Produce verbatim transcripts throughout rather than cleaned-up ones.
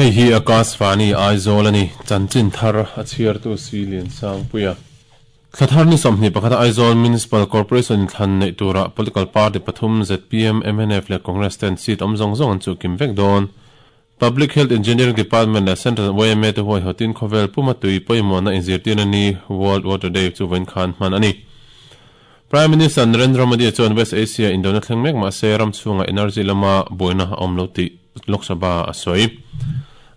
Hei hi Akashvani Aizawl ani chanchin thar a chhiar tu si lian sang puia Thlathar ni sawmhnih pakhat Aizawl Municipal Corporation thlan nei tura political party pathum Z P M M N F le Congress ten seat awm zawng zawng an chu kim vek dawn. Public Health Engineering Department le Central Y M A te huai hotin khawvel puma tui pawimawh na inzirtirna ni World Water Day chu vawiin khan hman ani. Prime Minister Narendra Modi chuan West Asia Indona thleng mek mahse ram chhunga energy lama buaina a awm lo tih Lok Sabha a sawi.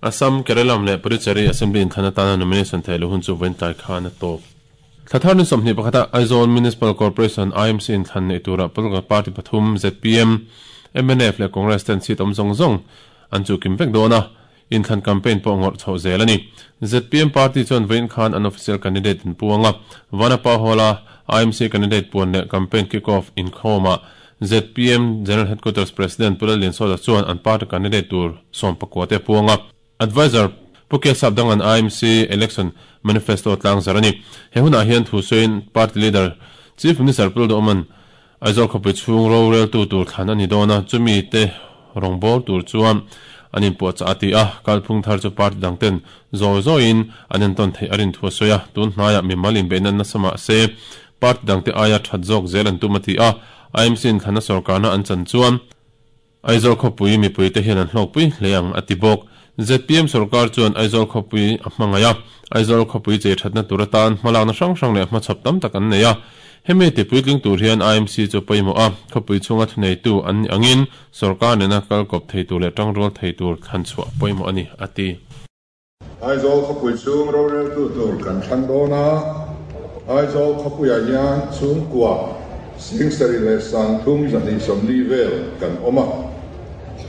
Assam, Kerala le Puducherry Assembly inthlan atana nomination thei lo hun chu vawiin tlai khan a tawp. Thlathar ni sawmhnih pakhata Aizawl Municipal Corporation I M C inthlan nei tura political party pathum Z P M, M N F le Congress ten seat awm zawng zawng an chu kim vek dawn a, inthlan campaign pawh ngawrh chhoh zel ani. Z P M party chuan vawiin khan an official candidate in puanga Vanapa Hall-a I M C candidate puan leh campaign kick-off inkhawmah Z P M General Headquarters President Pulal Liansoda chuan an party candidate tur sawm pakua te puanga advisor Pukya Sabdang an I M C election manifesto tlang zarani. He huna hian thu sawiin party leader Chief Minister Pulal Oman Aizawl khawpui chhung ro rel tu tur thlan ani dawn a, chumi te rawngbâwl tur chuan an inpuah chah a ti a, kalphung thar chu party dang ten zawi zawiin an entawn theih a rin thu a sawi a, tun hnaiah mimal inbeihna nasa mah se party dang te aia that zawk zel an tum a ti a, I M C in thlanna sorkarna an chan chuan Aizawl khawpui mipui te hian an hlawkpui hle ang a ti bawk. Z P M sarkar chuan Aizawl khawpui a hmangaih a, Aizawl khawpui che thatna tur atan hmalakna hrang hrang leh hmachhawp tam tak an nei a, hemi tipui tling tur hian I M C chu pawimawh a, khawpui chhunga thuneitu an ni angin sarkar nena kalkawp thei tur leh tangrual thei tur thlan chhuah pawimawh ani a ti. Aizawl khawpui chhung ro rel tu tur kan thlan dawn a, Aizawl khawpuiah hian chhungkua singsari leh sangthum zahnih sawmli vel kan awm a,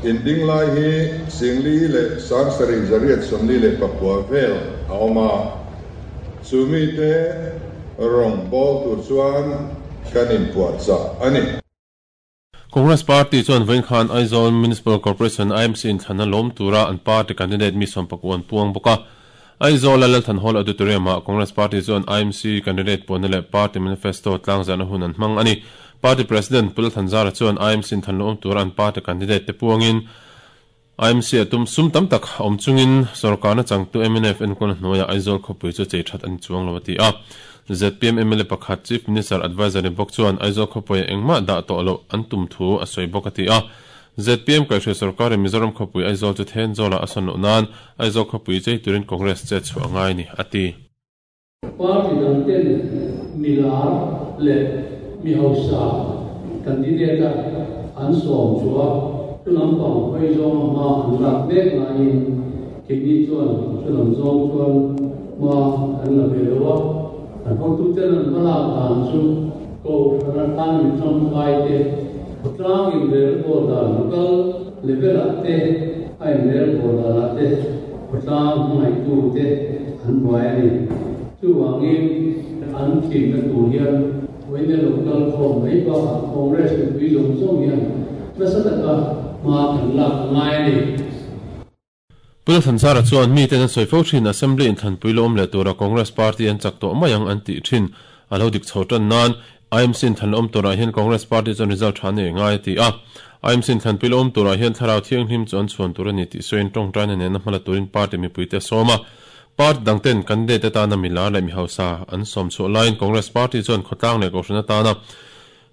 inding lai hi singli leh sangsari zariat sawmli leh pakua vel a awm a, chumi te rawng bawl tur chuan kan inpuah chah ani. Congress Party chuan vawiin khan Aizawl Municipal Corporation I M C inthlanna lawm tura an party candidate mi sawm pakua an puang bawk a. Aizawl a Lalthan Hall Auditorium-ah Congress Party chuan I M C candidate puanna leh party manifesto tlangzarna hun an hmang ani. Party President Pulal Thanzara chuan I M C inthlan lawm tura an party candidate te puangin I M C a tum sum tam tak awm chungin sorkarna changtu M N F enkawlna hnuaiah Aizawl khawpui chu chei that an chuang lo a ti a. Z P M M L A pakhat Chief Minister Advisor ni bawk chuan Aizawl khawpui engmah dah tawh lo an tum thu a sawi bawk a ti a. Z P M kaihhruai sarkarin Mizoram khawpui Aizawl chu Thenzawlah a sawn loh nan Aizawl khawpui chei turin Congress che chhuah ngai ni a ti. Party dang ten milar leh mi hausa candidate a an sawm chua chulam pang hawi zawng hma an lak mek laiin keini chuan chulam zawng chuan hma an la ve lo a, an hotu ten an hmalak dan chu ko hran atan mi tangkai te khawtlang inrel bawl dan local level ah te a inrel bawl dan ah te khawtlang hmangaihtu te an buai ani. Chuwangin an thinna tur hian vawiin local khawm mai bakah Congress mipui zawng zawng hian nasa taka hma kan lak ngai ani. Pulal Thanzara chuan mi ten an sawi fo thin Assembly inthlanpui lawm leh tura Congress Party an chak tawh mai ang an tih thin a lo dik chho tan nan I M C inthlan lawm turah hian Congress Party chuan result tha nei ngai a ti a. I M C inthlanpui lawm turah hian thlarau thianghlim chu an chhuan tur ani tih sawiin tawngtaina nena hmala turin party mipui te sawm a. Party dang ten candidate atana milar leh mi hausa an sawm chhuah laiin Congress Party chuan khawtlang leh kohhran atana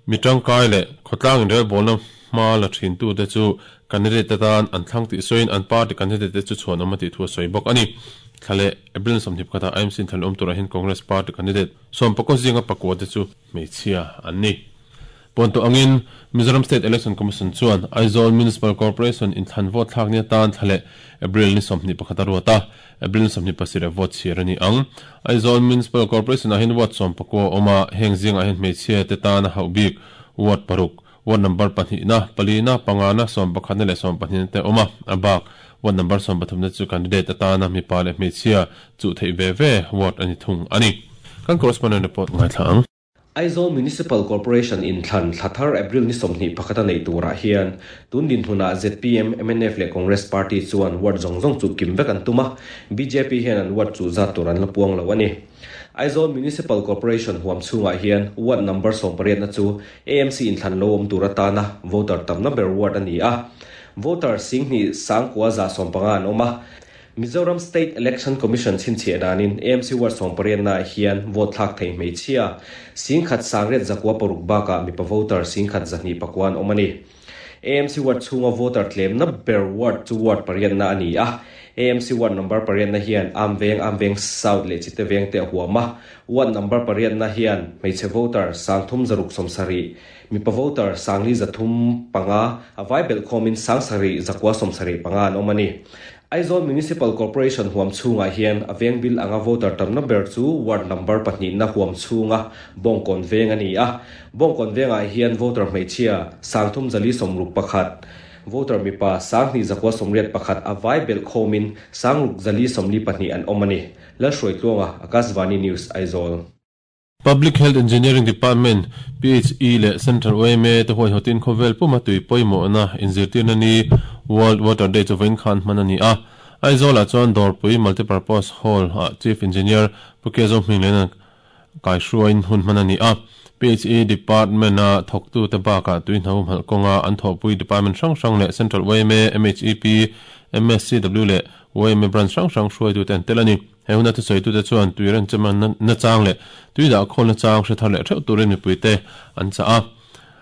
mi tangkai leh khawtlang inrel bawlna hma la thin tu te chu candidate atan an thlang tih sawiin an party candidate te chu chhuan awm a tih thu a sawi bawk ani. Thlale April sawmhnih pakhatah I M C inthlan lawm turah hian Congress Party candidate sawm pakua zinga pakua te chu hmeichhia an ni. Puan tawh angin Mizoram State Election Commission chuan Aizawl Municipal Corporation inthlan vote thlak ni atan thlale April ni sawmhnih pakhat a ruat a, April sawmhnih pasarih vote chhiar ani ang. Aizawl Municipal Corporation ah hian ward sawm pakua awm a, heng zingah hian hmeichhia te tan a hauh bik ward paruk, ward number pahnih na, pali na, panga na, sawm pakhat na leh sawm pahnih na te awm a, a bak ward number sawm pathum na chu candidate atana mipa leh hmeichhia chu theih ve ve ward ani thung ani. Kan correspondent report ngai thla ang. Aizawl Municipal Corporation inthlan thlathar April ni sawmhnih pakhata nei turah hian tun din hmunah Z P M, M N F leh Congress Party chuan ward zawng zawng chu kim vek an tum a, B J P hian an ward chu zat tur an la puang lo ani. Aizawl Municipal Corporation huam chhungah hian ward number sawm pariatna chu A M C inthlan lo awm tur atana voter tamna ber ward ani a. Voter singhnih sangkua za sawm panga an awm a. Mizoram State Election Commission chhinchhiah danin A M C ward sawm pariat na hian vote thlak thei hmeichhia singkhat sangriat zakua paruk bakah mipa voter singkhat zahnih pakua an awm a ni. A M C ward chhunga voter tlemna ber ward chu ward pariat na a ni a. A M C ward number pariat na hian Amveng, Amveng South leh Chite Veng te a huam a. Ward number pariat na hian hmeichhe voter sangthum zaruk sawmsarih, mipa voter sangli zathum panga, a vai belh khawmin sangsarih zakua sawmsarih panga an awm a ni. Aizawl Municipal Corporation huam chhungah hian a veng bil anga voter tamna ber chu ward number pahnih na huam chhunga Bawngkawn Veng a ni a. Bawngkawn Vengah hian voter hmeichhia sangthum zali sawmruk pakhat, voter mipa sanghnih zakua sawmriat pakhat, a vai belh khawmin sangruk zali sawmli pahnih an awm a ni. Lalhruaitluanga, Akashvani News, Aizawl. Public Health Engineering Department, P H E leh Central Y M A te huaihawtin khawvel puma tui pawimawhna inzirtirna ni World Water Day chu vawiin khan hman a ni a. Aizawlah chuan Dawrpui Multipurpose Hall ah Chief Engineer Pu Kezo Hminglena kaihruaiin hun hman a ni a. P H E Department a thawktu te bakah tui hna humhalh kawnga an thawhpui department hrang hrang leh Central Y M A, M H E P, M S C W leh Y M A branch hrang hrang hruaitute an tel a ni. He huna thusawitu te chuan tui renchem na chang leh tui dah khawl na chang hre thar leh theuh turin mipuite an chah a.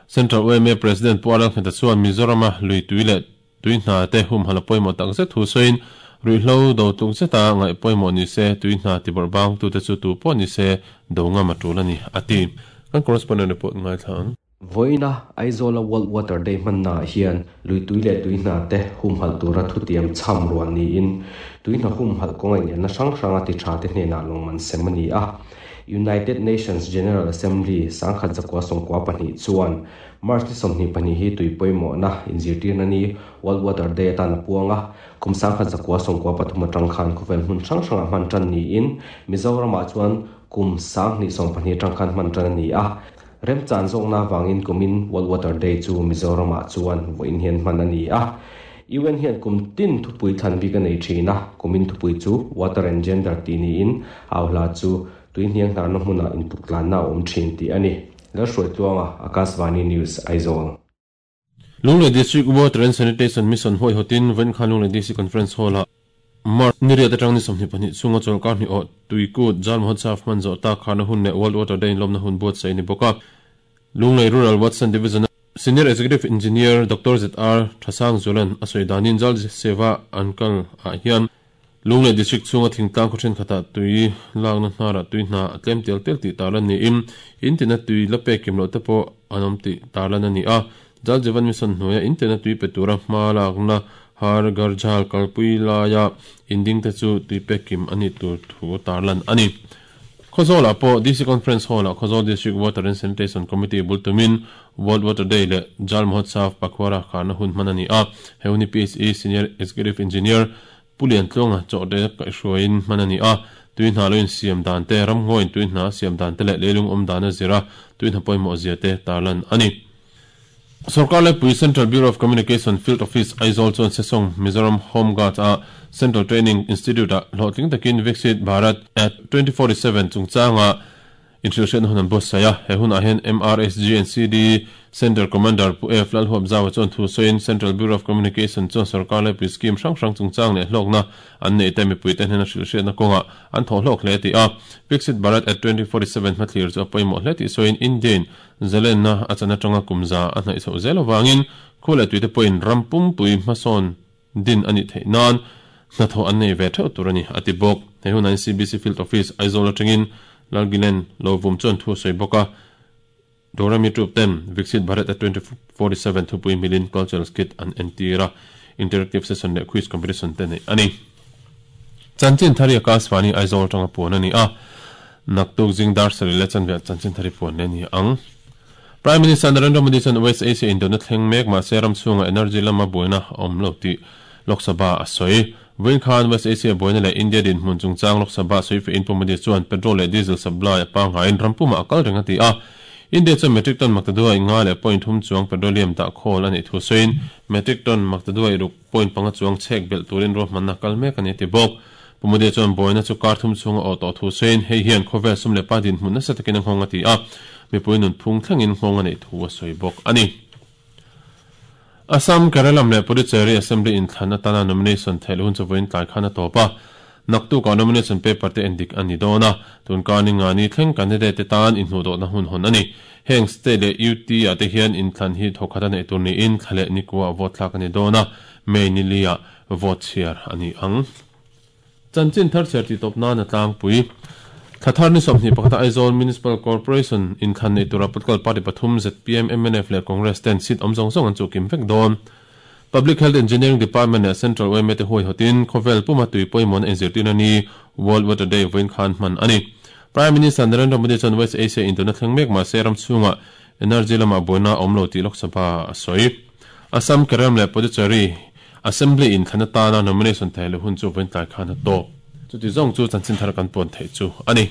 Central Y M A President Pu Aralngheta chuan Mizorama lui tui leh tui hna te humhalh a pawimawh tak zet thu sawiin ruihhlo do tluk zeta ngaih pawimawh ni se tui hna tibawrh bang tute chu tu pawh ni se do ngam a tul a ni a ti. Kan correspondent report ngaithla ang. Vawiina Aizawla World Water Day hmannaah hian lui tui leh tui hna te humhalh tura thutiam cham ruan niin tui hna humhalh kawnga inelna hrang hranga ti tha te hnenah lawmman sem a ni a. United Nations General Assembly sangkhat zakua sawmkua pahnih chuan March ni sawmhnih pahnih hi tui pawimawhna inzirtirna ni World Water Day atan a puang a. Kum sangkhat zakua sawmkua pathum atang khan khawvel hmun hrang hrangah hman tan niin Mizoramah chuan kum sanghnih sawm pahnih atang khan hman tan a ni a. Remchan zawkna wangin kumin World Water Day chu Mizoramah chuan vawiin hian hman a ni a. U N hian kum tin thupui thlan bik a nei thin a. Kumin thupui chu Water and Gender tih niin au hla chu tui hniang hnarna hmunah intuktlanna a awm thin tih a ni. Lalhruaitluanga, Akashvani News, Aizawl. Lunglei District Water and Sanitation Mission huaihawtin vawiin khan Lunglei D C Conference Hall-ah March ni riat atang ni sawmhnih pahnih chhunga chawlhkar hnih awh Tuikut Jal Mahotsav hman zawh tak kharna hun leh World Water Day inlawmna hun buatsaih a ni bawk a. Lunglei Rural Western Division Senior Executive Engineer Doctor Z R Thasang Zulan a sawi danin Jal Seva an kal ah hian Lunglei District chhunga thingtlang khaw thenkhatah tui lakna hnarah tui hna a tlem tel tel tih tarlan niin in tina tui la pek kim loh te pawh an awm tih tarlan a ni a. Jal Jeevan Mission hnuaia in tina tui pe tura hma lakna Har Ghar Jal kalpui laia inding te chu tui pek kim a nih tur thu tarlan a ni. Khawzawlah pawh D C Conference Hall-ah Khawzawl District Water and Sanitation Committee bul tumin World Water Day leh Jal Mahotsav Pakhwara kharna hun hman a ni a. He hun hi P H E Senior Executive Engineer Pu Liantluanga chawhte kaihhruaiin hman a ni a. Tui hna lo insiam dan te, ramngawiin tui hna siam dan te leh leilung awm dan a zira tui hna pawimawh zia te tarlan a ni. Sorkar Laipui Central Bureau of Communication Field Office Aizawl chuan Sesawng Mizoram Home Guards a Central Training Institute ah hlawhtling takin Viksit Bharat at twenty forty seven chungchanga inhrilhhriatna hun an buatsaih a. He hunah hian M R S G and C D Center Commander Pu F Lalhuapzawa chuan thu sawiin Central Bureau of Communication chuan sorkar laipui scheme hrang hrang chungchang leh hlawkna an neih te mipuite hnena hrilhhriatna kawngah an thawh hlawk hle tih a. Viksit Bharat at twenty forty seven hmathlir chu a pawimawh hle tih sawiin Indian zalenna a chan atanga kum za a hnaih chhoh zel awangin khu leh tuite pawhin ram pumpui hmasawn din a nih theih nan hnathawh an nei ve theuh tur a ni a ti bawk. He hunah hian C B C Field Office Aizawl atangin Lalgilen Lovum chuan thu a sawi bawk a. Doremi Troop ten Viksit Bharat at twenty forty seven thupui milin cultural skit an entir a, interactive session leh quiz competition te neih a ni. Chanchin thari Akashvani Aizawl atanga puan a ni a. Naktuk zing dar sarih leh chanve chanchin thari puan leh a ni ang. Prime Minister Narendra Modi chuan West Asia indona thleng mek mahse ram chhunga energy lama buaina a awm lo tih Lok Sabha a sawi. Vawiin khan West Asia buaina leh India dinhmun chungchang Lok Sabha sawi fe in Pu Modi chuan petrol leh diesel supply a pangngaiin ram pumah a kal reng a ti a. India chuan metric ton maktaduai nga leh point thum chuang petroleum dah khawl a nih thu sawiin metric ton maktaduai ruk point panga chuang chhek belh turin ruahmanna kal mek a ni ti bawk. Pu Modi chuan buaina chu kar thum chhunga awh tawh thu sawiin hei hian khawvel sum leh pa dinhmun nasa takin a nghawng a ti a. Mipui nun phung thlengin nghawng a neih thu a sawi bawk a ni. Assam Kerala le Puducherry Assembly inthlan atana nomination thel hun chu voin tlai khana topa naktu ka nomination paper te endik ani dona tun ka ni nga ni thleng candidate te tan in hnu do na hun hon ani heng state le U T a te hian inthlan hi thokhata nei tur ni in thlale ni kwa vote thlak ani dona May ni lia vote share ani ang chanchin thar cher ti top na na tlang pui Thathar ni somni pakhata Aizawl Municipal Corporation inthlan nei tura political party pathum Z P M M N F le Congress ten seat om zong zong an chu kim vek don Public Health Engineering Department le Central O M A te hoi hotin khovel puma tui poimon enzirtin ani World Water Day voin khan man ani Prime Minister Narendra Modi chan West Asia International mek ma seram chunga energy lama boina omlo ti Lok Sabha soi Assam Kerala le Puducherry Assembly in thanata na nomination thele hun chu voin tlai khan to chu ti zong chu chanchin thar kan pon thei chu ani.